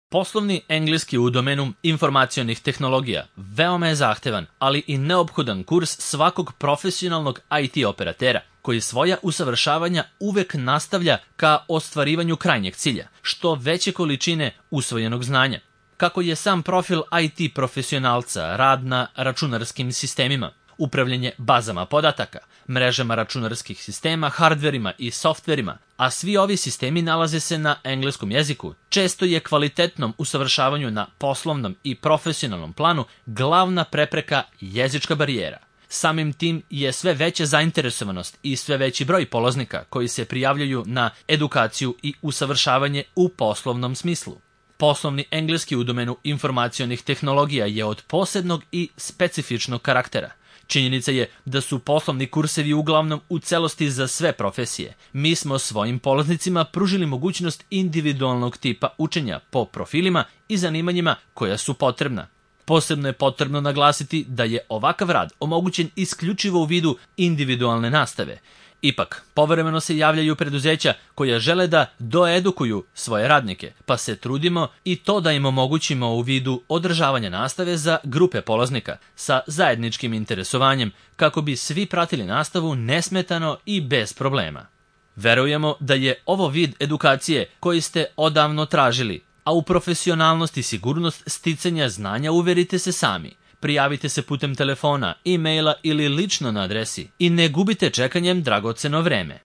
Poslovni engleski u domenu informacionih tehnologija veoma je zahtevan, ali i neophodan kurs svakog profesionalnog IT operatera, koji svoja usavršavanja uvek nastavlja ka ostvarivanju krajnjeg cilja, što veće količine usvojenog znanja. Kako je sam profil IT profesionalca rad na računarskim sistemima, upravljanje bazama podataka, mrežama računarskih sistema, hardverima i softverima, a svi ovi sistemi nalaze se na engleskom jeziku, često je kvalitetnom usavršavanju na poslovnom i profesionalnom planu glavna prepreka jezička barijera. Samim tim je sve veća zainteresovanost i sve veći broj polaznika koji se prijavljaju na edukaciju i usavršavanje u poslovnom smislu. Poslovni engleski u domenu informacionih tehnologija je od posebnog i specifičnog karaktera. Činjenica je da su poslovni kursevi uglavnom u celosti za sve profesije. Mi smo svojim polaznicima pružili mogućnost individualnog tipa učenja po profilima i zanimanjima koja su potrebna. Posebno je potrebno naglasiti da je ovakav rad omogućen isključivo u vidu individualne nastave. Ipak, povremeno se javljaju preduzeća koja žele da doedukuju svoje radnike, pa se trudimo i to da im omogućimo u vidu održavanja nastave za grupe polaznika sa zajedničkim interesovanjem, kako bi svi pratili nastavu nesmetano i bez problema. Verujemo da je ovo vid edukacije koji ste odavno tražili, a u profesionalnost i sigurnost sticanja znanja uverite se sami. Prijavite se putem telefona, e-maila ili lično na adresi i ne gubite čekanjem dragoceno vreme.